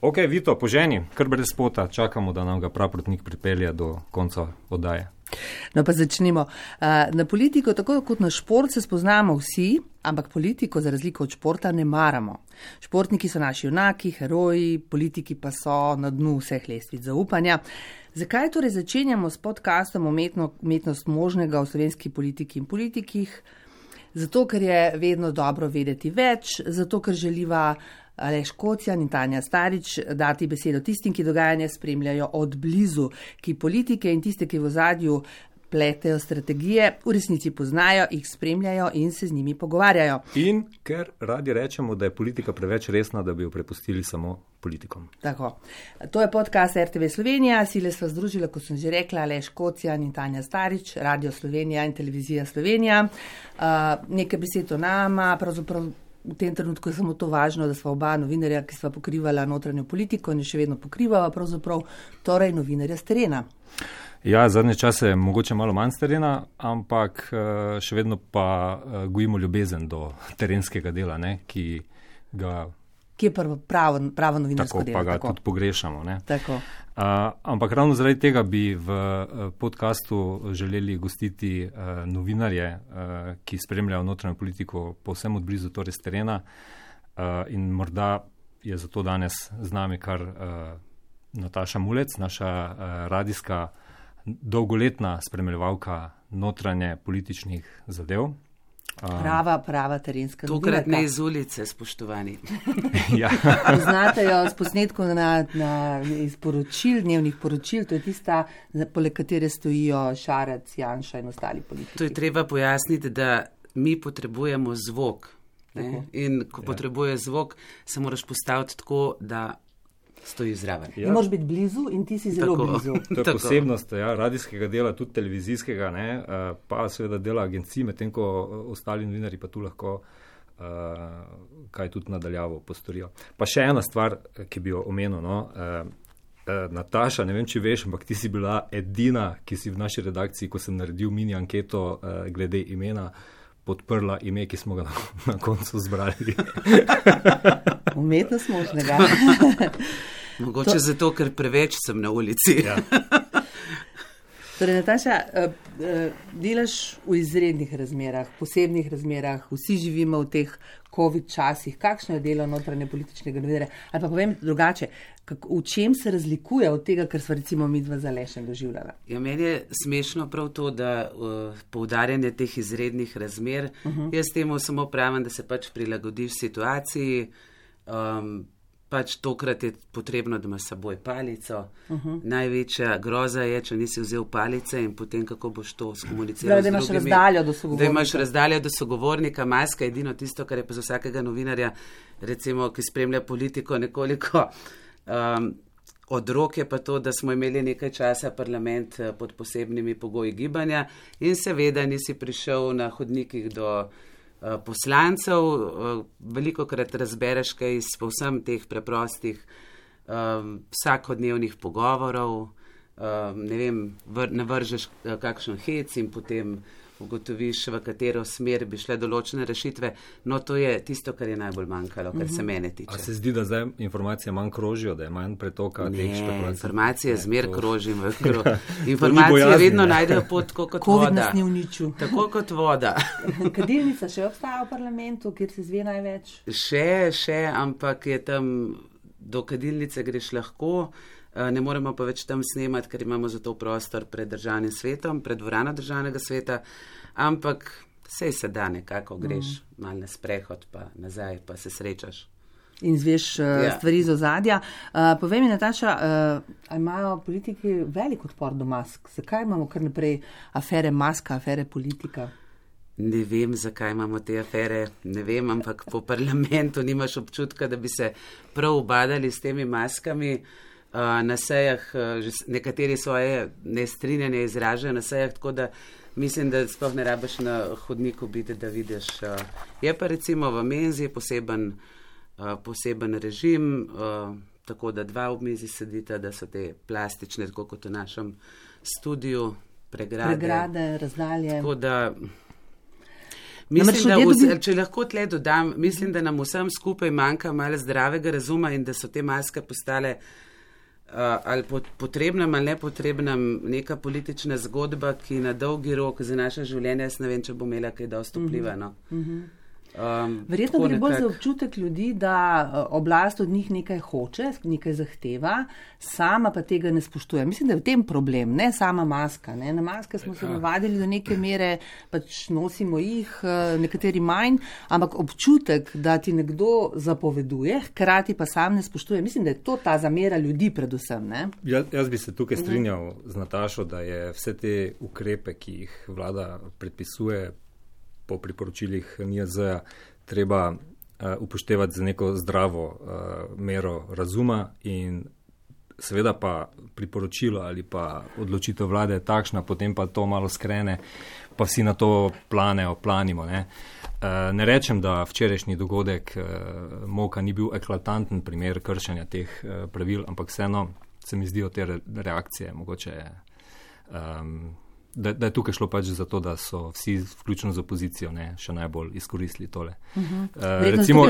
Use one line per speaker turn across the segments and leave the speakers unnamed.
Ok, Vito, poženi, kar brez spota, čakamo, da nam ga praprotnik pripelje do konca oddaje.
No pa začnimo. Na politiko, tako kot na šport, se spoznamo vsi, ampak politiko za razliko od športa ne maramo. Športniki so naši junaki, heroji, politiki pa so na dnu vseh lestvic zaupanja. Zakaj torej začenjamo s podcastom Umetnost možnega v slovenski politiki in politikih? Zato, ker je vedno dobro vedeti več, zato, ker želiva Aleš Kocjan in Tanja Starič dati besedo tistim, ki dogajanje spremljajo od blizu, ki politike in tiste, ki v ozadju pletejo strategije, v resnici poznajo, jih spremljajo in se z njimi pogovarjajo.
In ker radi rečemo, da je politika preveč resna, da bi jo prepustili samo politikom.
Tako. To je podcast RTV Slovenija, sile sva združila, kot sem že rekla, Aleš Kocjan in Tanja Starič, Radio Slovenija in Televizija Slovenija. Nekaj besed o nama, pravzaprav v tem trenutku je samo to važno, da sva oba novinarja, ki sva pokrivala notranjo politiko in še vedno pokrivava, pravzaprav torej novinarja s terena.
Ja, zadnje čase je mogoče malo manj s terena, ampak še vedno pa gojimo ljubezen do terenskega dela, ne, ki
je pravo novinarsko delo.
Tako pa ga tudi pogrešamo. Ne.
Tako.
Ampak ravno zaradi tega bi v podcastu želeli gostiti novinarje, ki spremljajo notranjo politiko povsem od blizu, torej s terena. In morda je zato danes z nami kar Nataša Mulec, naša radijska dolgoletna spremljevalka notranje političnih zadev.
Prava terenska novinarka.
Tokrat ne iz ulice, spoštovani.
Ja.
Poznate jo s posnetkov iz poročil, dnevnih poročil, to je tista, poleg katere stojijo Šarec, Janša in ostali politiki.
To je treba pojasniti, da mi potrebujemo zvok. Ne? In ko potrebuješ zvok, se moraš postaviti tako, da stoji zraven.
Ja. Moraš biti blizu in ti si zelo blizu.
To je posebnost radijskega dela, tudi televizijskega, ne, pa seveda dela agencij, medtem ko ostali novinarji pa tu lahko kaj tudi nadaljavo postorijo. Pa še ena stvar, ki bi jo omenil, no, Nataša, ne vem, če veš, ampak ti si bila edina, ki si v naši redakciji, ko sem naredil mini anketo glede imena, podprla ime, ki smo ga na koncu zbrali.
Umetnost možnega.
Mogoče zato, ker preveč sem na ulici.
Ja.
Torej, Nataša, delaš v izrednih razmerah, posebnih razmerah, vsi živimo v teh COVID časih. Kakšno je delo notranje političnega novinarja? Ali pa povem drugače, v čem se razlikuje od tega, kar sva recimo midva z Alešem doživljala?
Ja, meni je smešno prav to, da poudarjanje teh izrednih razmer, jaz temu samo pravim, da se pač prilagodiš situaciji, pač tokrat je potrebno, da imaš s seboj palico. Največja groza je, če nisi vzel palice in potem kako boš to skomuniciral z drugimi.
Da imaš razdaljo do sogovornika.
Da imaš razdaljo do sogovornika, maska je edino tisto, kar je pa za vsakega novinarja, recimo, ki spremlja politiko nekoliko od roke, pa to, da smo imeli nekaj časa parlament pod posebnimi pogoji gibanja in seveda nisi prišel na hodnikih do poslancev, veliko krat razbereš kaj iz povsem teh preprostih vsakodnevnih pogovorov, ne vem, navržeš kakšen hec in potem ugotoviš, v katero smer bi šle določene rešitve. No, to je tisto, kar je najbolj manjkalo, kar se mene tiče.
A se zdi, da zdaj informacije manj krožijo, da je manj pretoka?
Ne, informacije zmer krožim. Informacije vedno najdejo pot kot voda.
COVID nas ni uničil.
Tako kot voda.
Kadilnica še obstaja v parlamentu, kjer se zve največ?
Še, ampak je tam do kadilnice greš lahko. Ne moremo pa več tam snemati, ker imamo za to prostor pred državnim svetom, pred dvorano državnega sveta, ampak sej se da nekako, greš malo na sprehod, pa nazaj, pa se srečaš.
In zveš stvari z ozadja. Povej mi, Nataša, imajo politiki velik odpor do mask? Zakaj imamo kar naprej afere maska, afere politika?
Ne vem, zakaj imamo te afere, ne vem, ampak po parlamentu nimaš občutka, da bi se prav ubadali s temi maskami. Na sejah, nekateri svoje nestrinjanje izražajo na sejah, tako da mislim, da sploh ne rabiš na hodniku biti, da vidiš. Je pa recimo v menzi poseben režim, tako da 2 ob mizi sedita, da so te plastične, tako kot v našem studiu, pregrade,
razdalje.
Tako da Mislim, če lahko tle dodam, mislim, da nam vsem skupaj manjka malo zdravega razuma in da so te maske postale ali potrebnem ali nepotrebnem neka politična zgodba, ki na dolgi rok za naše življenje, jaz ne vem, če bo imela kaj dosti vpliva. No.
Verjetno gre bolj za občutek ljudi, da oblast od njih nekaj hoče, nekaj zahteva, sama pa tega ne spoštuje. Mislim, da je v tem problem, ne sama maska. Ne? Na maske smo se navadili do neke mere, pač nosimo jih, nekateri manj, ampak občutek, da ti nekdo zapoveduje, hkrati pa sam ne spoštuje. Mislim, da je to ta zamera ljudi predvsem. Ne?
Jaz bi se tukaj strinjal z Natašo, da je vse te ukrepe, ki jih vlada predpisuje, po priporočilih NIJZ treba upoštevati za neko zdravo mero razuma in seveda pa priporočilo ali pa odločitev vlade je takšna, potem pa to malo skrene, pa vsi na to planimo. Ne rečem, da včerajšnji dogodek Moka ni bil eklatanten primer kršenja teh pravil, ampak vseeno se mi zdijo te reakcije mogoče da je tukaj šlo pač za to, da so vsi, vključno z opozicijo, še najbolj izkoristili tole. Recimo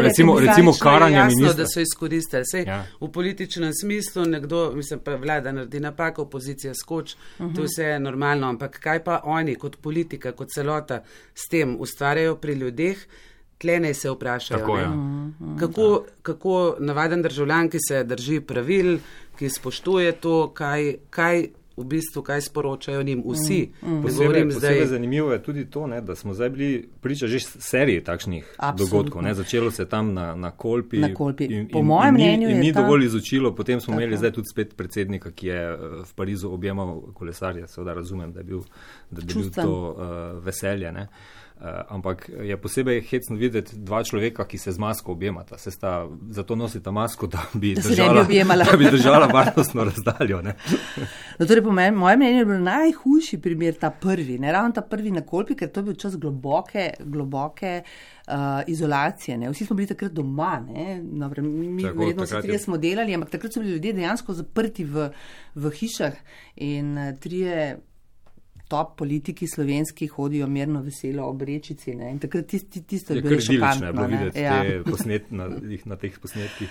karanje ministra.
Jasno, da so izkoristili. Sej, v političnem smislu nekdo, mislim pa vlada naredi napako, opozicija skoč, to vse je normalno, ampak kaj pa oni kot politika, kot celota s tem ustvarjajo pri ljudeh, tle naj se vprašajo. Kako navaden državljan, ki se drži pravil, ki spoštuje to, kaj v bistvu, kaj sporočajo njim vsi.
Posebej zanimivo je tudi to, da smo zdaj bili priča že seriji takšnih dogodkov. Začelo se tam na Kolpi.
Po mojem mnenju je
ni dovolj izučilo, potem smo imeli zdaj tudi spet predsednika, ki je v Parizu objemal kolesarje. Seveda razumem, da je bil to veselje. Ampak je posebej hecno videti dva človeka, ki se z masko objemata. Zato nosita masko, da bi držala varnostno razdaljo.
No, torej, po mojem mnenju je bil najhujši primer ta prvi, ravno ta prvi na Kolpi, ker to je bil čas globoke izolacije. Vsi smo bili takrat doma. Mi verjetno vsi trije smo delali, ampak takrat so bili ljudje dejansko zaprti v hišah in trije top politiki slovenski hodijo mirno veselo ob rečici. In takrat tisto je bilo šokantno.
Je bilo videti na teh posnetkih.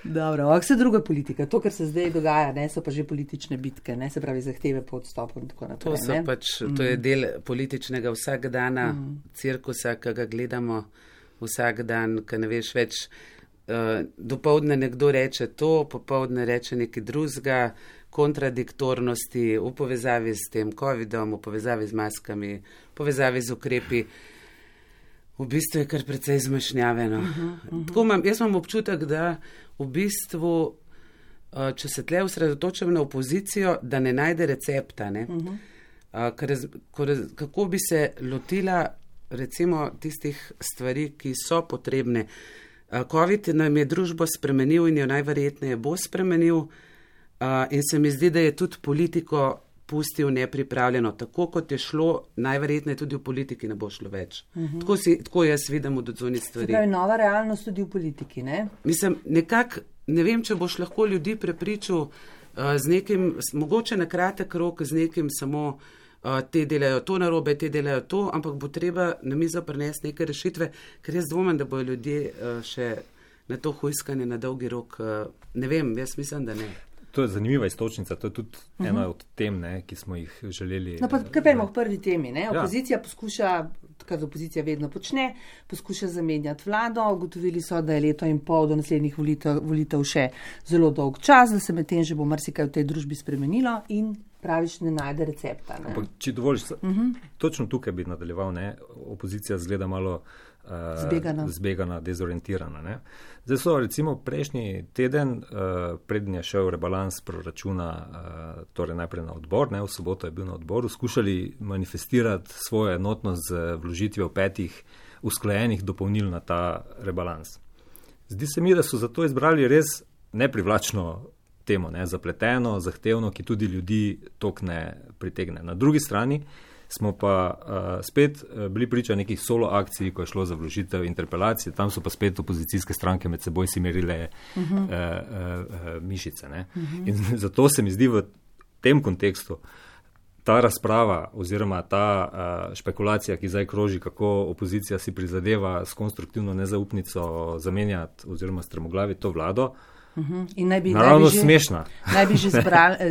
Dobro, ampak vse druga politika. To, kar se zdaj dogaja, so pa že politične bitke, se pravi zahteve po odstopu in tako naprej.
To je del političnega vsakdana cirkusa, ki ga gledamo vsak dan, ki ne veš več. Dopoldne nekdo reče to, popoldne reče nekaj drugega, kontradiktornosti v povezavi s tem COVID-om, v povezavi z maskami, v povezavi z ukrepi. V bistvu je kar precej zmešnjave. Jaz imam občutek, da v bistvu, če se tle osredotočam na opozicijo, da ne najde recepta. Kako bi se lotila recimo tistih stvari, ki so potrebne. COVID nam je družbo spremenil in jo najverjetneje bo spremenil. In se mi zdi, da je tudi politiko pustil nepripravljeno. Tako kot je šlo, najverjetneje tudi v politiki ne bo šlo več. Tako jaz vidim od odzuni stvari.
Se pravi, nova realnost tudi v politiki, ne?
Mislim, nekako, ne vem, če boš lahko ljudi prepričal z nekim, mogoče na kratek rok, z nekim samo te delajo to narobe, te delajo to, ampak bo treba na mizo prinesti neke rešitve, ker jaz dvomim, da bojo ljudje še na to hujskanje na dolgi rok. Ne vem, jaz mislim, da ne.
To je zanimiva istočnica, to je tudi ena od tem, ki smo jih želeli.
No, pa kaj pa imamo v prvi temi, Opozicija poskuša, kar opozicija vedno počne, poskuša zamenjati vlado, ugotovili so, da je leto in pol do naslednjih volitev še zelo dolg čas, da se medtem že bo marsikaj v tej družbi spremenilo in praviš, ne najde recepta.
Ampak, če dovoliš, točno tukaj bi nadaljeval, opozicija zgleda malo zbegana, dezorientirana. Zdaj so recimo prejšnji teden, preden je šel rebalans proračuna, torej najprej na odbor, v soboto je bil na odboru, skušali manifestirati svojo enotnost z vložitvijo 5 usklajenih dopolnil na ta rebalans. Zdi se mi, da so zato izbrali res neprivlačno temo, zapleteno, zahtevno, ki tudi ljudi toliko ne pritegne. Na drugi strani smo pa spet bili priča nekih solo akcij, ko je šlo za vložitev interpelacije, tam so pa spet opozicijske stranke med seboj si merile mišice. In zato se mi zdi v tem kontekstu ta razprava oziroma ta špekulacija, ki zdaj kroži, kako opozicija si prizadeva s konstruktivno nezaupnico zamenjati oziroma strmoglaviti to vlado,
in
naravno smešna.
Naj bi že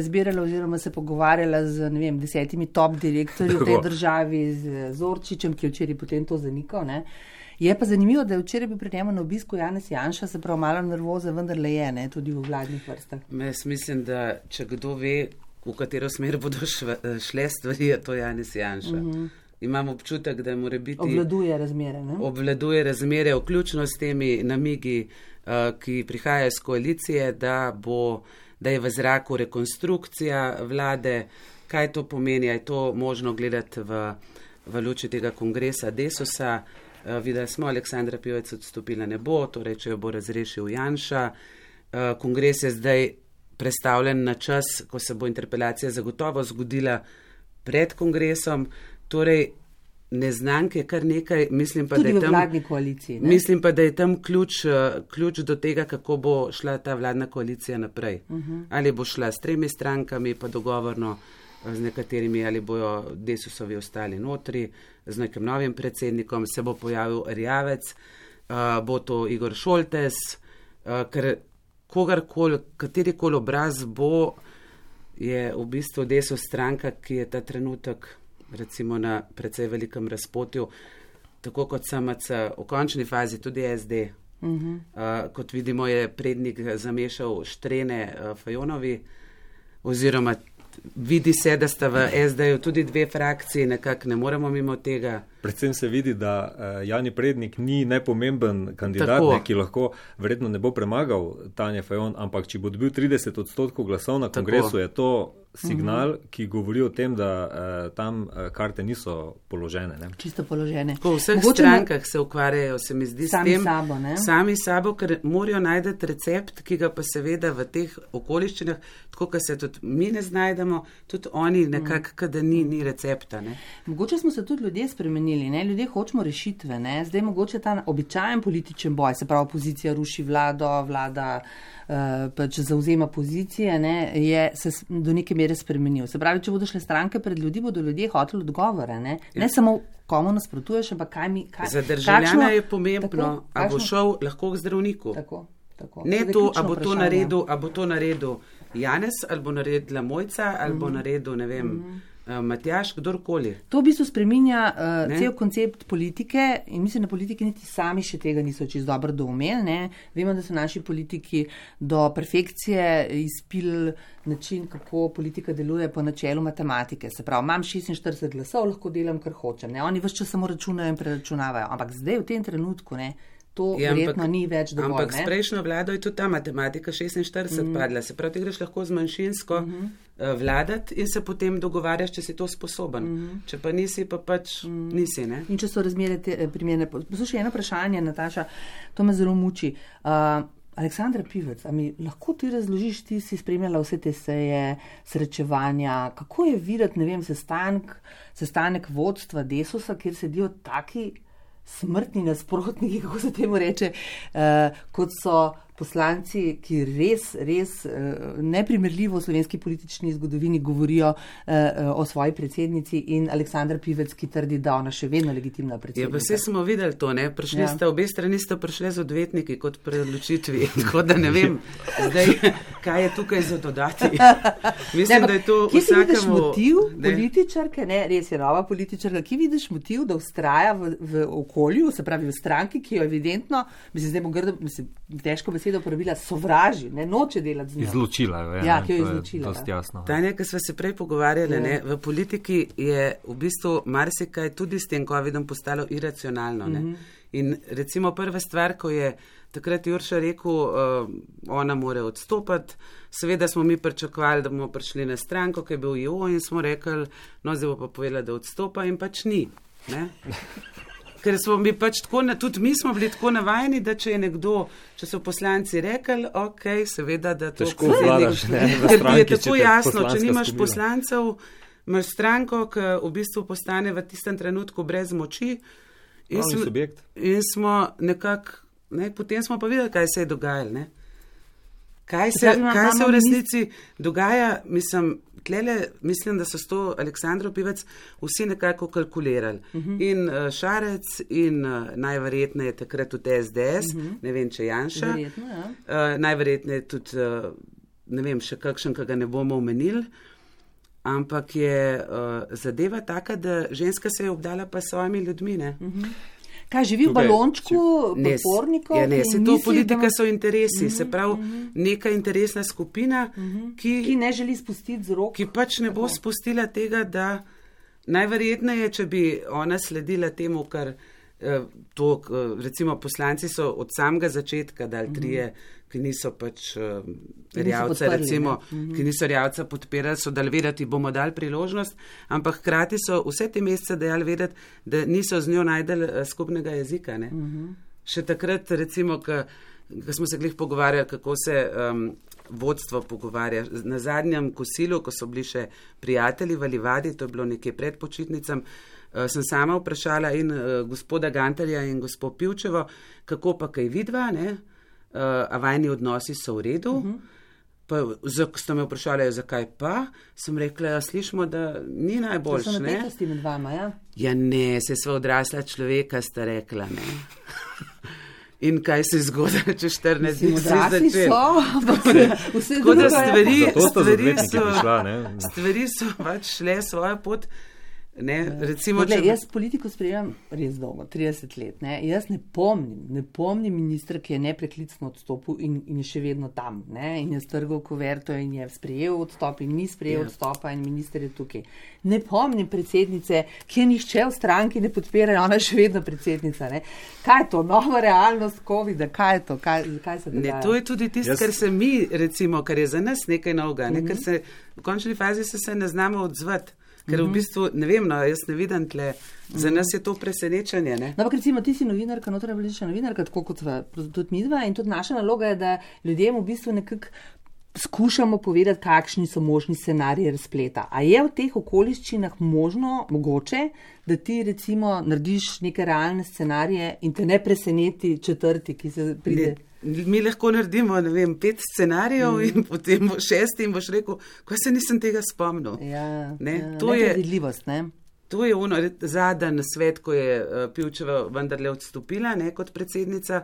zbirala oziroma se pogovarjala z 10 top direktorji v tej državi, z Zorčičem, ki je včeraj potem to zanikal. Ne? Je pa zanimivo, da je včeraj bil pri njemu na obisku Janez Janša, se pravi malo nervoza, vendar le je, ne, tudi v vladnih vrstah.
Jaz mislim, da če kdo ve, v katero smer bodo šle stvari, je to Janez Janša. Imam občutek, da mora biti...
Obvladuje razmere, ne?
Obvladuje razmere, vključno s temi namigi, ki prihajajo iz koalicije, da je v zraku rekonstrukcija vlade. Kaj to pomeni? Je to možno gledati v luči tega kongresa Desusa? Videli smo, Aleksandra Pivec odstopila ne bo, torej če jo bo razrešil Janša. Kongres je zdaj prestavljen na čas, ko se bo interpelacija zagotovo zgodila pred kongresom. Torej, neznank je kar nekaj, mislim pa,
tudi
da je
v vladni koaliciji. Ne?
Mislim pa, da je tam ključ do tega, kako bo šla ta vladna koalicija naprej. Ali bo šla s 3 strankami, pa dogovorno z nekaterimi, ali bojo Desusovi ostali notri, z nekim novim predsednikom, se bo pojavil Erjavec, bo to Igor Šoltes, ker katerikoli obraz bo, je v bistvu Desus stranka, ki je ta trenutek recimo na precej velikem razpotju, tako kot SMC, v končni fazi tudi SD. Kot vidimo, je prednik zamešal Štrene Fajonovi, oziroma vidi se, da sta v SD-ju tudi 2 frakcije, nekako ne moremo mimo tega.
Predvsem se vidi, da Jani Prednik ni nepomemben kandidat, ki lahko verjetno ne bo premagal Tanje Fajon, ampak če bo dobil 30% glasov na kongresu, je to signal, ki govori o tem, da tam karte niso položene. Ne?
Čisto položene.
Po vseh strankah se ukvarjajo, se mi zdi,
sami
s tem.
Sabo, ne?
Sami sabo, ker morajo najti recept, ki ga pa seveda v teh okoliščinah, tako kot se tudi mi ne znajdemo, tudi oni nekako, da ni recepta. Ne?
Mogoče smo se tudi ljudje spremenili, ne? Ljudje hočemo rešitve. Ne? Zdaj mogoče ta običajen političen boj, se pravi opozicija ruši vlado, vlada pač zauzema pozicije, ne, je se do neke mere spremenil. Se pravi, če bodo šle stranke pred ljudi, bodo ljudje hoteli odgovore. Ne samo komu nasprotuješ, ampak kaj
za državljana je pomembno, a bo šel lahko k zdravniku.
Tako.
Ne to, a bo to naredil Janez, ali bo naredila Mojca, ali bo naredil, ne vem, Matjaž, kdorkoli.
To v bistvu spreminja cel koncept politike in mislim, da politiki niti sami še tega niso čisto dobro doumeli. Ne? Vemo, da so naši politiki do perfekcije izpili način, kako politika deluje po načelu matematike. Se pravi, imam 46 glasov, lahko delam, kar hočem. Ne? Oni vse čas samo računajo in preračunavajo. Ampak zdaj v tem trenutku, ne, to verjetno ni več dovolj.
Ampak s prejšnjo vlado je tudi ta matematika 46 padla. Se pravi, ti greš lahko z manjšinsko vladati in se potem dogovarjaš, če si to sposoben. Če pa nisi, pa pač nisi. Ne?
In če so razmere primerne. Poslušaj, eno vprašanje, Nataša, to me zelo muči. Aleksandra Pivec, a mi lahko ti razložiš, ti si spremljala vse te seje, srečevanja, kako je videti, ne vem, sestanek vodstva Desusa, kjer sedijo taki smrtni nasprotniki, kako se temu reče, kot so poslanci, ki res neprimerljivo v slovenski politični zgodovini govorijo o svoji predsednici in Aleksandra Pivec, ki trdi, da ona še vedno legitimna predsednica.
Ja, pa vse smo videli to, ne? Obe strani sta prišli z odvetniki kot pri odločitvi, tako da ne vem zdaj, kaj je tukaj za dodati. Mislim, da je to
vsakemu... Kje si vidiš motiv političarke, ne, res je nova političarka, kje vidiš motiv, da ustraja v okolju, se pravi v stranki, ki jo evidentno, mislim, zdaj bo grdo, težko besedo uporabila, sovraži, ne, noče delati z njo.
Izločila jo,
ja, ki jo je izločila.
Dosti jasno.
Tanja, ki smo se prej pogovarjali, ne, v politiki je v bistvu marsikaj tudi s tem COVID-om postalo iracionalno. Ne. In recimo prva stvar, ko je takrat Jurša rekel, ona more odstopati, seveda smo mi pričakovali, da bomo prišli na stranko, ki je bil IO in smo rekli, no zdaj bo pa povedala, da odstopa in pač ni. Ne. Ker smo mi pač tako, tudi mi smo bili tako navajeni, da če je nekdo, če so poslanci rekli, ok, seveda, da to
težko vladaš,
ker ti je tako jasno, če nimaš poslancev, imaš stranko, ki v bistvu postane v tistem trenutku brez moči. In smo nekako, ne, potem smo pa videli, kaj se je dogajalo. Ne. Kaj se v resnici dogaja, mislim, tlele, mislim, da so s to Aleksandro Pivec vsi nekako kalkulirali. In Šarec in najverjetneje takrat tudi SDS, ne vem, če Janša. Najverjetneje tudi, ne vem, še kakšen, ki ga ne bomo omenili. Ampak je zadeva taka, da ženska se je obdala pa s svojimi ljudmi, ne?
Kaj, živi v balončku, podpornikov?
Ja, ne, se to politika so interesi, se pravi neka interesna skupina,
ki ne želi spustiti z rok.
Ki pač ne bo spustila tega, da najverjetneje, če bi ona sledila temu, kar to, recimo poslanci so od samega začetka dali trije, ki niso pač Erjavca, recimo, ki niso Erjavca podpirali, so dali vedeti, bomo dali priložnost, ampak hkrati so vse te mesece dali vedeti, da niso z njo najdeli skupnega jezika. Ne? Še takrat, recimo, ko smo se glih pogovarjali, kako se vodstvo pogovarja. Na zadnjem kosilu, ko so bili še prijatelji v Livadi, to je bilo nekje pred počitnicam, sem sama vprašala in gospoda Gantarja in gospod Pivčevo, kako pa kaj vidva, ne? A vajni odnosi so v redu. Pa, ste me vprašali, zakaj pa, sem rekla, slišimo, da ni najboljš.
To so napetosti med vama, ja?
Ja ne, se sva odrasla človeka, sta rekla, ne. In kaj se zgodi, če 14 dni se začeli. Tako da stvari so pač šle svojo pot. Ne, recimo,
jaz politiko sprejemam res dolgo, 30 let. Ne. Jaz ne pomnim ministra, ki je nepreklicno odstopil in je še vedno tam. Ne. In je strgal kuverto in je sprejel odstop in ni sprejel odstopa in minister je tukaj. Ne pomnim predsednice, ki je nihče v stranki ne podpira, ona je še vedno predsednica. Ne. Kaj je to? Nova realnost COVID-a? Kaj je to? Kaj se dogaja?
Ne, to je tudi tisto, kar se mi, recimo, kar je za nas nekaj novega, ne, ker se v končni fazi se ne znamo odzvati. Ker v bistvu, ne vem, no, jaz ne vidim tle, za nas je to presenečenje, ne?
No, ampak recimo, ti si novinarka, notranjepolitična novinarka, tako kot tudi midva, in tudi naša naloga je, da ljudem v bistvu nekako skušamo povedati, kakšni so možni scenariji razpleta. A je v teh okoliščinah mogoče, da ti recimo narediš neke realne scenarije in te ne preseneti četrti, ki se pride?
Mi lahko naredimo, ne vem, 5 scenarijev in potem 6 in boš rekel, kaj se nisem tega spomnil.
Nepredvidljivost, ne?
To je ono zadnji svet, ko je Pivčeva vendarle odstopila, ne, kot predsednica.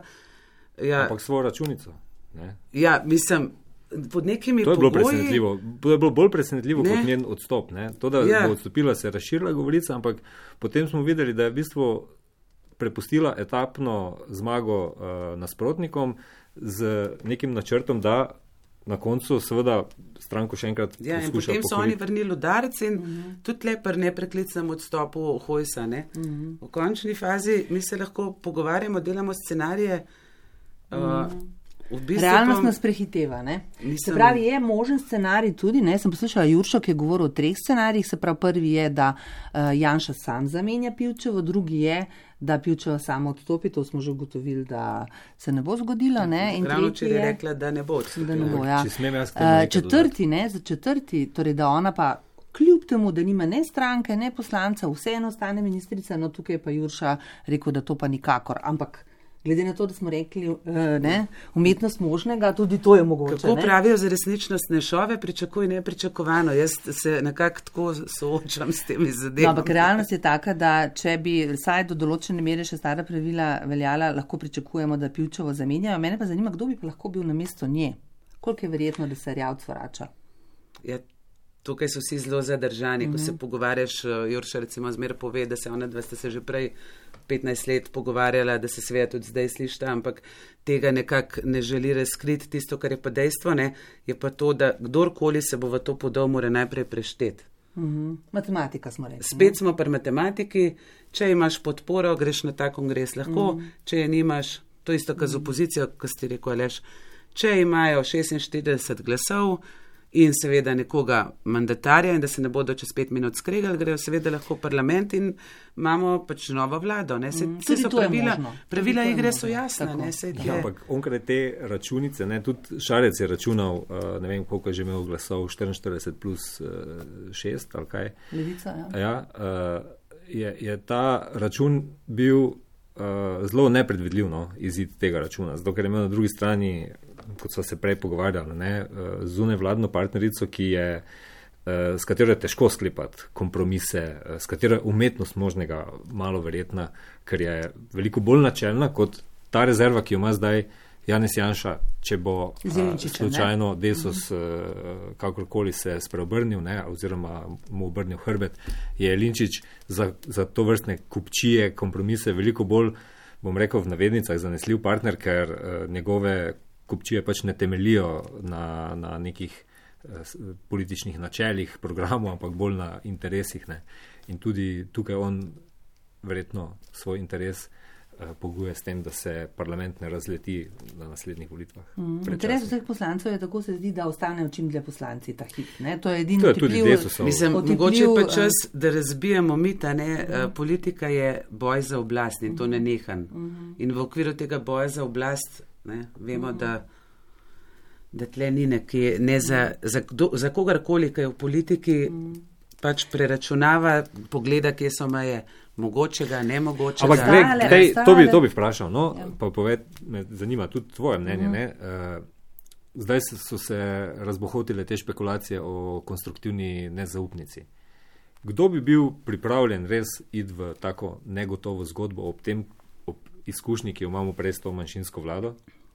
Ja. Ampak svojo računico, ne?
Ja, mislim, pod nekimi pogoji.
To je bilo bolj presenetljivo kot njen odstop, ne? To, da bo odstopila, se je razširila govorica, ampak potem smo videli, da je v bistvu prepustila etapno zmago nasprotnikom z nekim načrtom, da na koncu seveda stranko še enkrat poskuša
pokoriti. In potem so oni vrnili udarec in tudi lepr nepreklicnem odstopu Hojsa. Ne? V končni fazi mi se lahko pogovarjamo, delamo scenarije. V bistvu
realnost nas prehiteva, ne? Se pravi, je možen scenarij tudi, ne? Sem poslušala Juršo, ki je govoril o 3 scenarijih, se pravi, prvi je, da Janša sam zamenja Pivčevo, drugi je, da Pivčeva samo odstopi, to smo že ugotovili, da se ne bo zgodilo, ne? In
ravno če je rekla, da ne bo odstopila.
Ja. Četrti, torej da ona pa kljub temu, da nima ne stranke, ne poslanca, vseeno ostane ministrica, no tukaj je pa Jurša rekel, da to pa nikakor, ampak glede na to, da smo rekli, umetnost možnega, tudi to je mogoče.
Kako pravijo za resničnostne šove, pričakuj nepričakovano. Jaz se nekako tako soočam s temi zadevami.
No, ampak realnost je taka, da če bi vsaj do določene mere še stara pravila veljala, lahko pričakujemo, da Pivčevo zamenjajo. Mene pa zanima, kdo bi pa lahko bil namesto nje. Koliko je verjetno, da se Erjavec vrača?
Ja, tukaj so vsi zelo zadržani. Ko se pogovarjaš, Jurša recimo zmeraj pove, da se ona dva sta se že prej 15 let pogovarjala, da se seveda tudi zdaj slišta, ampak tega nekako ne želi razkriti. Tisto, kar je pa dejstvo, ne, je pa to, da kdorkoli se bo v to podal, mora najprej prešteti.
Matematika smo rekli.
Spet smo pri matematiki, če imaš podporo, greš na ta kongres lahko, če je nimaš, to isto kot z opozicijo, ko ste rekel, Aleš, če imajo 46 glasov in seveda nekoga mandatarja in da se ne bodo čez 5 minut skregali, grejo seveda lahko v parlament in imamo pač novo vlado. Ne? Se so pravila igre so jasna.
Ja, ampak onkraj te računice, ne, tudi Šarec je računal, ne vem, koliko je že imel glasov, 44 plus 6 ali kaj.
Levica,
ja. Je ta račun bil zelo nepredvidljiv, no, izid tega računa, zato ker je imel na drugi strani, kot so se prej pogovarjali, zunaj vladno partnerico, ki je s katero je težko sklepati kompromise, s katero je umetnost možnega malo verjetna, ker je veliko bolj načelna kot ta rezerva, ki jo ima zdaj Janez Janša, če bo slučajno Desus kakorkoli se spreobrnil, oziroma mu obrnil hrbet, je Jelinčič za to vrstne kupčije, kompromise veliko bolj, bom rekel v navednicah, zanesljiv partner, ker njegove kupčije pač ne temelijo na nekih političnih načelih, programov, ampak bolj na interesih. In tudi tukaj on verjetno svoj interes poguje s tem, da se parlament ne razleti na naslednjih volitvah.
Interes vseh poslancev je, tako se zdi, da ostanejo čim dlje poslanci ta hip. To je edino
otipljiv.
Mogoče pa čas, da razbijemo mita, politika je boj za oblast in to nenehan. In v okviru tega boja za oblast vemo, da tle ni nekje, za kogarkoli, ki je v politiki, pač preračunava, pogleda, kje so meje mogočega, nemogočega.
Ampak to bi vprašal, pa me zanima tudi tvoje mnenje. Zdaj so se razbohotile te špekulacije o konstruktivni nezaupnici. Kdo bi bil pripravljen res iti v tako negotovo zgodbo ob izkušnji, ki jo imamo prej s to manjšinsko vlado?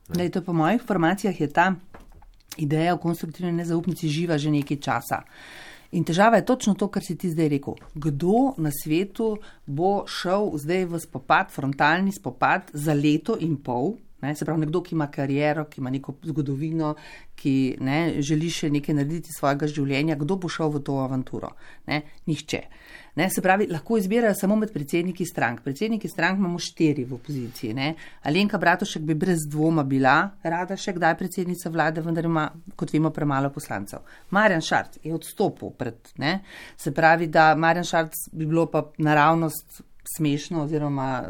To po mojih informacijah je ta ideja o konstruktivni nezaupnici živa že nekaj časa. In težava je točno to, kar si ti zdaj rekel. Kdo na svetu bo šel zdaj v spopad, frontalni spopad za leto in pol, se pravi nekdo, ki ima kariero, ki ima neko zgodovino, ki želi še nekaj narediti svojega življenja, kdo bo šel v to avanturo? Nihče. Se pravi, lahko izbirajo samo med predsedniki strank. Predsedniki strank imamo 4 v opoziciji. Alenka Bratušek bi brez dvoma bila rada še kdaj predsednica vlade, vendar ima, kot vemo, premalo poslancev. Marjan Šarec je odstopil Se pravi, da Marjan Šarec bi bilo pa naravnost smešno, oziroma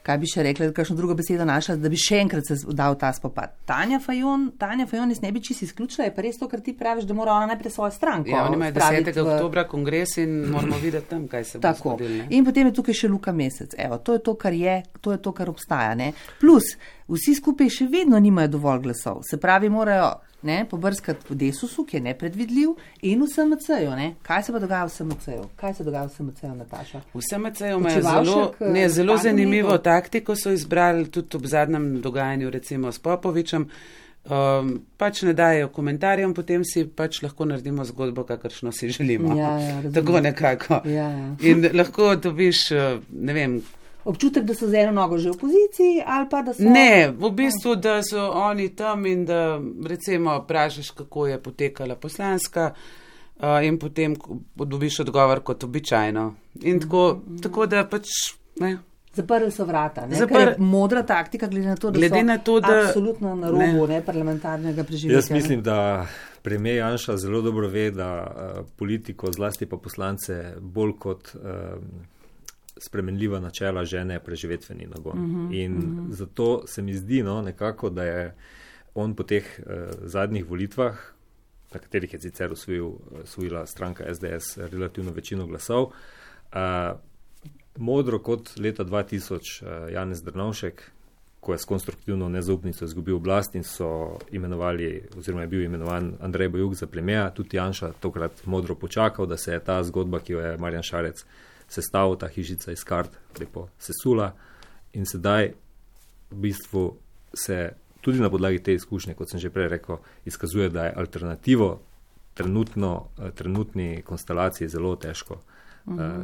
kaj bi še rekla, kakšno drugo besedo našla, da bi še enkrat se dal ta spopad. Tanja Fajon jaz ne bi čisto izključila, je pa res to, kar ti praviš, da mora ona najprej svojo stranko.
Ja, oni imajo 10. oktobra kongres in moramo videti tam, kaj se bo zgodilo.
In potem je tukaj še Luka Mesec. To je to, kar obstaja. Plus, vsi skupaj še vedno nimajo dovolj glasov. Se pravi, morajo pobrskati v Desusu, ki je nepredvidljiv, in v SMC-ju. Kaj se pa dogaja v SMC-ju, Nataša?
V SMC-ju imajo zelo zanimivo taktiko, so izbrali tudi ob zadnjem dogajanju, recimo s Popovičem. Pač ne dajo komentarjem, potem si pač lahko naredimo zgodbo, kakršno si želimo. Tako nekako. In lahko dobiš,
občutek, da so z eno nogo že v opoziciji, ali pa da so...
Ne, v bistvu, da so oni tam in da recimo vprašaš, kako je potekala poslanska in potem dobiš odgovor kot običajno. In tako da pač...
Zaprli so vrata, ker je modra taktika, glede na to, da absolutno na robu parlamentarnega preživetja.
Jaz mislim, da premier Janša zelo dobro ve, da politiko, zlasti pa poslance, bolj kot spremenljiva načela žene preživetveni nagon. In zato se mi zdi nekako, da je on po teh zadnjih volitvah, na katerih je sicer osvojila stranka SDS relativno večino glasov, modro kot leta 2000 Janez Drnovšek, ko je s konstruktivno nezaupnico izgubil oblast in so imenovali, oziroma je bil imenovan Andrej Bajuk za premiera, tudi Janša tokrat modro počakal, da se je ta zgodba, ki jo je Marjan Šarec sestavil, ta hišica iz kart, lepo sesula, in sedaj v bistvu se tudi na podlagi te izkušnje, kot sem že prej rekel, izkazuje, da je alternativo trenutni konstelaciji zelo težko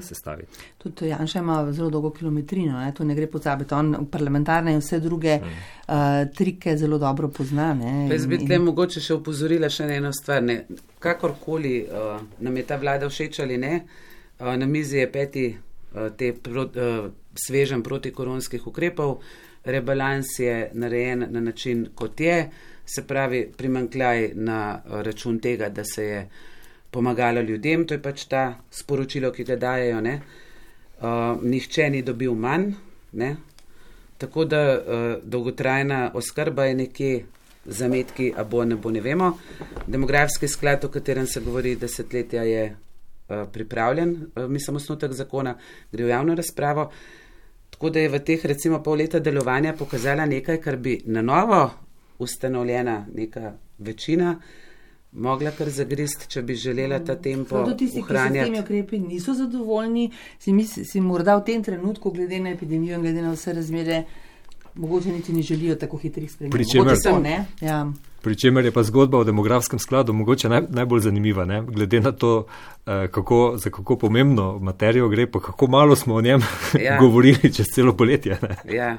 sestaviti.
Tudi Janša ima zelo dolgo kilometrino, to ne gre pozabiti. On parlamentarne in vse druge trike zelo dobro pozna.
Jaz bi tle mogoče še opozorila še na eno stvar. Kakorkoli nam je ta vlada všeč ali ne, na mizi je 5. sveženj protikoronskih ukrepov. Rebalans je narejen na način, kot je, se pravi primanjkljaj na račun tega, da se je pomagalo ljudem, to je pač ta sporočilo, ki ga dajejo, nihče ni dobil manj, tako da dolgotrajna oskrba je nekje zametki, a bo, ne vemo. Demografski sklad, o katerem se govori desetletja, je pripravljen, mislim, osnutek zakona, gre v javno razpravo, tako da je v teh recimo pol leta delovanja pokazala nekaj, kar bi na novo ustanovljena neka večina mogla kar zagrist, če bi želela ta tempo ohranjati.
Tisti, ki se s temi ukrepi niso zadovoljni, si morda v tem trenutku, glede na epidemijo in glede na vse razmere, mogoče niti ne želijo tako hitrih sprememb.
Pričemer je pa zgodba o demografskem skladu mogoče najbolj zanimiva, ne? Glede na to, za kako pomembno materijo gre, pa kako malo smo o njem govorili čez celo poletje. Ne?
Ja.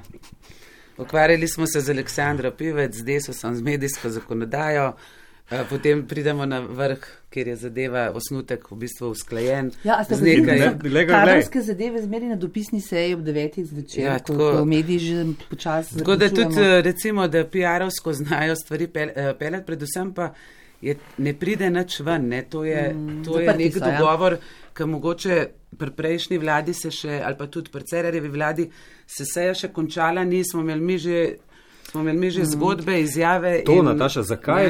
Ukvarjali smo se z Aleksandro Pivec, z Desusom, z medijsko zakonodajo, potem pridemo na vrh, kjer je zadeva osnutek v bistvu usklajen.
Ja,
z nekaj.
Kadrovske zadeve zmeri na dopisni seji ob 9. zvečer, ko mediji že počasi
zaključujemo. Tako da tudi recimo, da PR-ovsko znajo stvari peljati, predvsem pa ne pride nič ven, ne? To je nek dogovor, ki mogoče pri prejšnji vladi se še, ali pa tudi pri Cerarjevi vladi se seja še končala, smo imeli mi že zgodbe, izjave.
To, Nataša,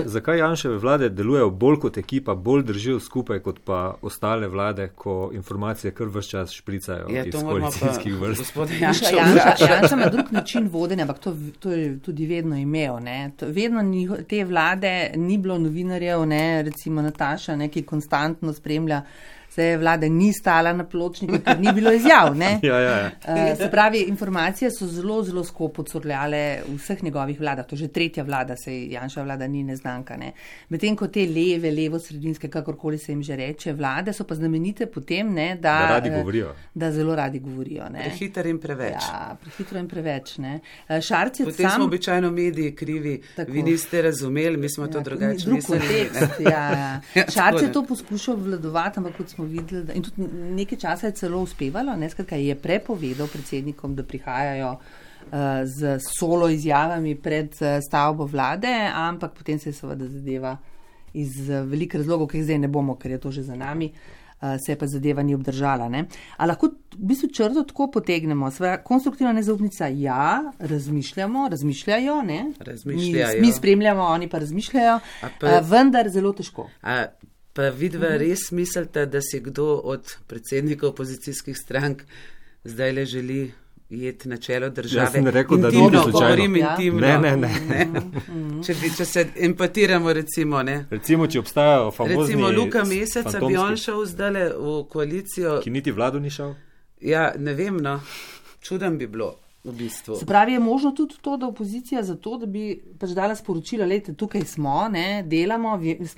zakaj Janševe vlade delujejo bolj kot ekipa, bolj držijo skupaj kot pa ostale vlade, ko informacije kar ves čas špricajo iz koalicijskih vrst?
Janša ima drug način vodenja, ampak to je tudi vedno imel. Ne? Vedno te vlade ni bilo novinarjev, ne? Recimo Nataša, ne? Ki konstantno spremlja. Se vlada ni stala na pločniku, ker ni bilo izjav. Se pravi, informacije so zelo, zelo skopo curljale v vseh njegovih vladah. To že tretja vlada, se Janševa vlada ni neznanka. Ne. Medtem ko te levo-sredinske, kakorkoli se jim že reče, vlade so pa znamenite potem, ne, da zelo radi govorijo. Ne.
Prehitro in preveč.
Ja, prehitro in preveč. Ne. Šarc je
potem smo običajno mediji krivi. Tako. Vi niste razumeli, mi smo to drugače mislili.
Šarc je to poskušal obvladovati, ampak kot smo videli, in tudi nekaj časa je celo uspevalo, skratka je prepovedal predsednikom, da prihajajo z solo izjavami pred stavbo vlade, ampak potem se je seveda zadeva iz velikih razlogov, ki jih zdaj ne bomo, ker je to že za nami, se je pa zadeva ni obdržala. Ne? A lahko v bistvu črto tako potegnemo. Konstruktivna nezaupnica, razmišljajo, ne? Mi spremljamo, oni pa razmišljajo, vendar zelo težko.
Pa vidva res mislite, da si kdo od predsednikov opozicijskih strank zdaj le želi jeti na čelo države?
Jaz sem rekel,
intimno,
da ni slučajno.
Govorim intimno.
Ne.
Če se empatiramo, recimo, ne.
Recimo, če obstajajo famozni
recimo Luka Meseca, bi on šel zdaj v koalicijo.
Ki niti vladu ni šel?
Ja, ne vem, no. Čudem bi bilo. V bistvu.
Se pravi, je možno tudi to, da opozicija za to, da bi pač dala sporočila, lejte, tukaj smo, ne, delamo,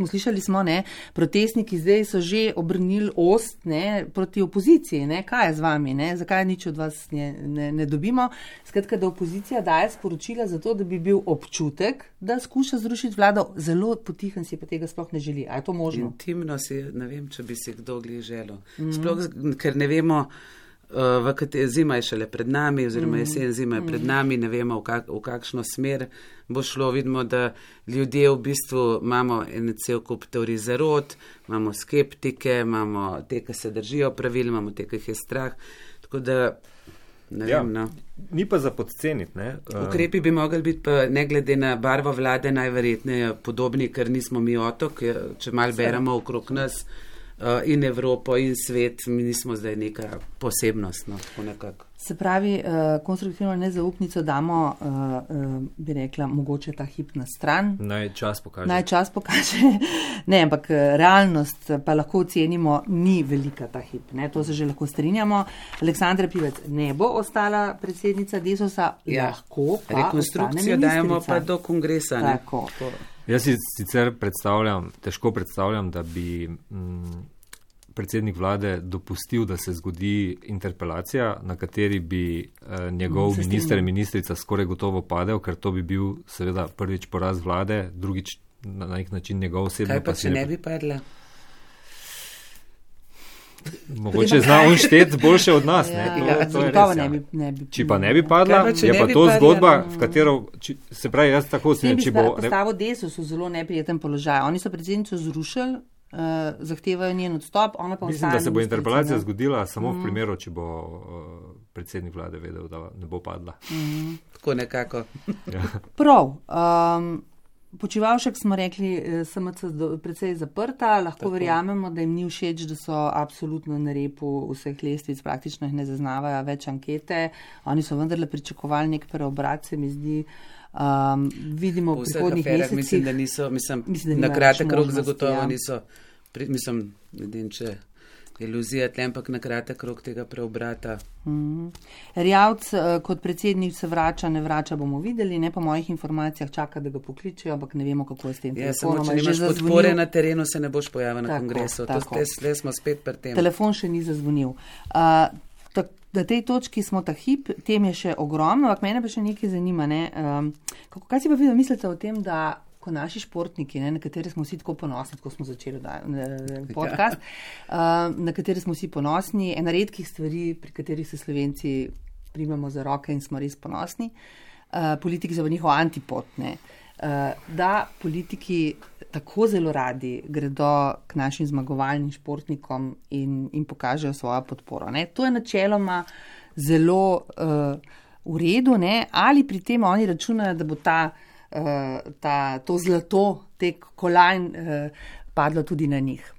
slišali smo, ne, protestniki zdaj so že obrnili ost, ne, proti opoziciji, ne, kaj je z vami, ne, zakaj nič od vas ne dobimo. Skratka, da opozicija daje sporočila za to, da bi bil občutek, da skuša zrušiti vlado, zelo potihen si pa tega sploh ne želi. A je to možno?
Intimno si, ne vem, če bi si kdo glih želel. Sploh, ker ne vemo, zima je šele pred nami, oziroma jesen zima je pred nami, ne vemo, v kakšno smer bo šlo. Vidimo, da ljudje v bistvu imamo en cel kup teorij zarot, imamo skeptike, imamo te, ki se držijo pravil, imamo te, ki jih je strah. Tako da, ne vem, no.
Ni pa za podceniti, ne?
Ukrepi bi mogli biti pa ne glede na barvo vlade najverjetneje podobni, ker nismo mi otok, če mal beremo okrog nas, in Evropo in svet, mi nismo zdaj neka posebnost. No,
se pravi, konstruktivno nezaupnico damo, bi rekla, mogoče ta hip na stran.
Naj čas pokaže.
Ne, ampak realnost pa lahko ocenimo, ni velika ta hip. Ne? To se že lahko strinjamo. Aleksandra Pivec ne bo ostala predsednica Desusa, lahko pa
rekonstrukcijo dajemo pa do kongresa. Ne?
Tako.
Jaz si sicer težko predstavljam, da bi predsednik vlade dopustil, da se zgodi interpelacija, na kateri bi njegov minister in ministrica skoraj gotovo padel, ker to bi bil seveda prvič poraz vlade, drugič na nek način njegov osebno.
Kaj pa, če ne bi padla?
Mogoče zna on šteti boljše od nas. To je res,
ne bi.
Če pa ne bi padla, je pa to zgodba, v katero, se pravi, jaz tako sem, če bo...
Postavo Desus v zelo neprijeten položaj. Oni so predsednico zrušili, zahtevajo njen odstop, ona pa
mislim, da se bo interpelacija zgodila samo v primeru, če bo predsednik vlade vedel, da ne bo padla.
Tako nekako.
Prav. Počivalšek smo rekli, SMC precej zaprta, lahko verjamemo, da jim ni všeč, da so absolutno na repu vseh lestvic, praktično jih ne zaznavajo več ankete. Oni so vendarle pričakovali nek preobrat, se mi zdi. Vidimo v prihodnjih mesecih.
Mislim, da niso, na kratek rok zagotovo niso, ne vem, če iluzija tle, ampak na kratek rok tega preobrata.
Erjavc kot predsednik se vrača, ne vrača, bomo videli, ne po mojih informacijah čaka, da ga pokličejo, ampak ne vemo, kako je s tem telefonom.
Samo, če nimaš podpore na terenu, se ne boš pojavil na kongresu. Tle smo spet pri tem.
Telefon še ni zazvonil. Na tej točki smo ta hip, tem je še ogromno, ampak mene pa še nekaj zanima. Ne? Kaj si pa vi mislite o tem, da ko naši športniki, na katere smo vsi tako ponosni, tako smo začeli podcast, na katere smo vsi ponosni, ena redkih stvari, pri katerih se Slovenci primamo za roke in smo res ponosni, politiki so pa njihov antipod, da politiki tako zelo radi gredo k našim zmagovalnim športnikom in pokažejo svojo podporo. Ne. To je načeloma zelo v redu, ne. Ali pri tem oni računajo, da bo to zlato, te kolajn padlo tudi na njih.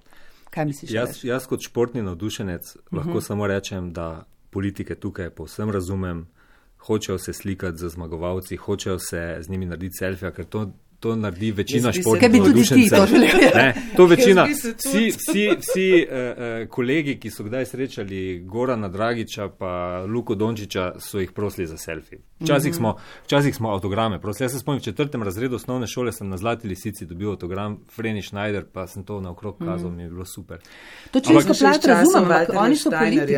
Kaj misliš?
Jaz kot športni navdušenec lahko samo rečem, da politike tukaj povsem razumem, hočejo se slikati z zmagovalci, hočejo se z njimi narediti selfija, ker to naredi večina športnih navdušencev. To večina, vsi kolegi, ki so kdaj srečali Gorana Dragića pa Luko Dončića, so jih prosili za selfie. Včasih smo avtograme prosili. Jaz se spomnim, v 4. razredu osnovne šole sem na Zlati lisici dobil avtogram Freni Schneider, pa sem to naokrog kazal, mi je bilo super.
To čisto plat razumem, ampak oni so politiki.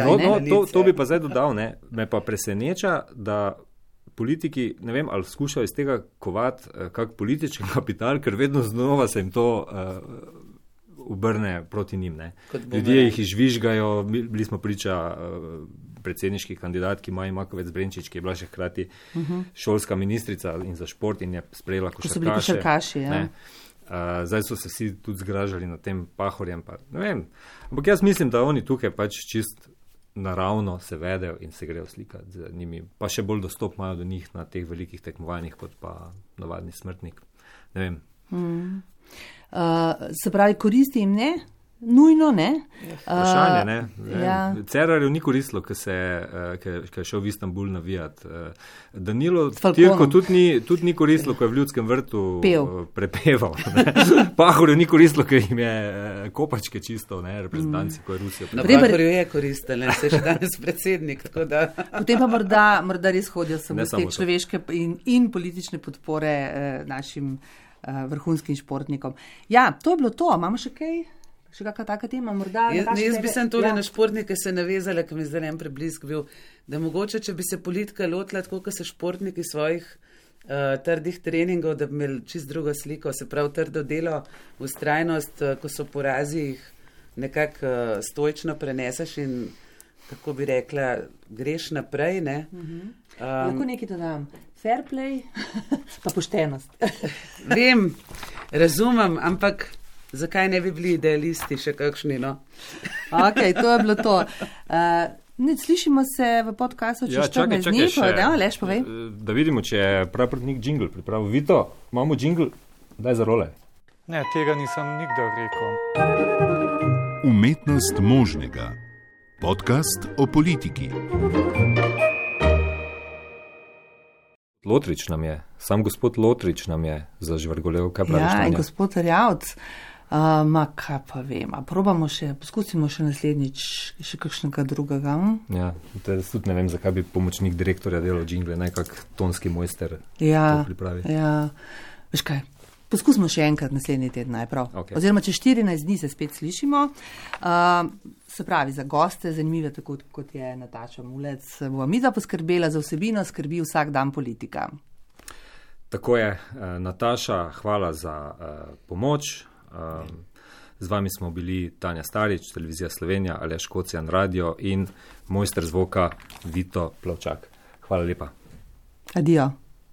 To bi pa zdaj dodal, me pa preseneča, da politiki, ne vem, ali skušajo iz tega kovati kak politični kapital, ker vedno znova se jim to obrne proti njim. Ljudje jih izžvižgajo, bili smo priča predsedniški kandidatki Maji Makovec Brenčič, ki je bila še hkrati šolska ministrica in za šport in je sprejela košarkaše. Zdaj so se vsi tudi zgražali nad tem Pahorjem, pa ne vem. Ampak jaz mislim, da oni tukaj pač čist naravno se vedejo in se grejo slikati z njimi, pa še bolj dostop imajo do njih na teh velikih tekmovanjih kot pa navadni smrtnik. Ne vem.
Se pravi, koristi jim ne? Nujno ne?
Vprašanje, ne? Ja. Cerarju ni koristilo, ker je šel v Istanbul navijati. Danilo Tirko tudi ni koristilo, ko je v Ljudskem vrtu prepeval. Pahorju ni koristilo, ker jim je kopačke čisto, reprezentanci, ko je Rusijo.
Na Pahorju je koristilo, se še danes predsednik.
Potem pa morda res hodijo samo z te človeške in politične podpore našim vrhunskim športnikom. Ja, to je bilo to. Imamo še kaj? Še kakšna taka tema?
Jaz bi sem tole na športnike se navezala, ker mi zdaj en preblisk bil, da mogoče, če bi se politika lotila tako, kot se športniki svojih trdih treningov, da bi imeli čist drugo sliko, se pravi trdo delo, vztrajnost, ko so porazi, jih nekako stoično preneseš in, kako bi rekla, greš naprej, ne?
Lahko nekaj dodam. Fair play, pa poštenost.
Vem, razumem, ampak zakaj ne bi bili idealisti še kakšni, no?
Ok, to je bilo to. Slišimo se v podcastu čez 14 dni, Leš, povej.
Da vidimo, če je praprotnik džingl pripravil. Vito, imamo džingl, daj za role.
Ne, tega nisem nikdar rekel.
Umetnost možnega. Podcast o politiki.
Lotrič nam je, sam gospod Lotrič nam je zažvrgolel, kaj praviš?
Ja, in gospod Erjavc. Kaj pa vem, poskusimo še naslednjič še kakšnega drugega.
Ja, tudi ne vem, zakaj bi pomočnik direktorja delal džingle, nekak tonski mojster to pripravi.
Ja, veš kaj, poskusimo še enkrat naslednji teden najprav. Okay. Oziroma, če 14 dni se spet slišimo, se pravi za goste, zanimive tako kot je Nataša Mulec, bo midva poskrbela za vsebino, skrbi vsak dan politika.
Tako je, Nataša, hvala za pomoč. Z vami smo bili Tanja Starič, Televizija Slovenija, Aleš Kocijan, Radio in mojster zvoka Vito Plavčak. Hvala lepa.
Adijo.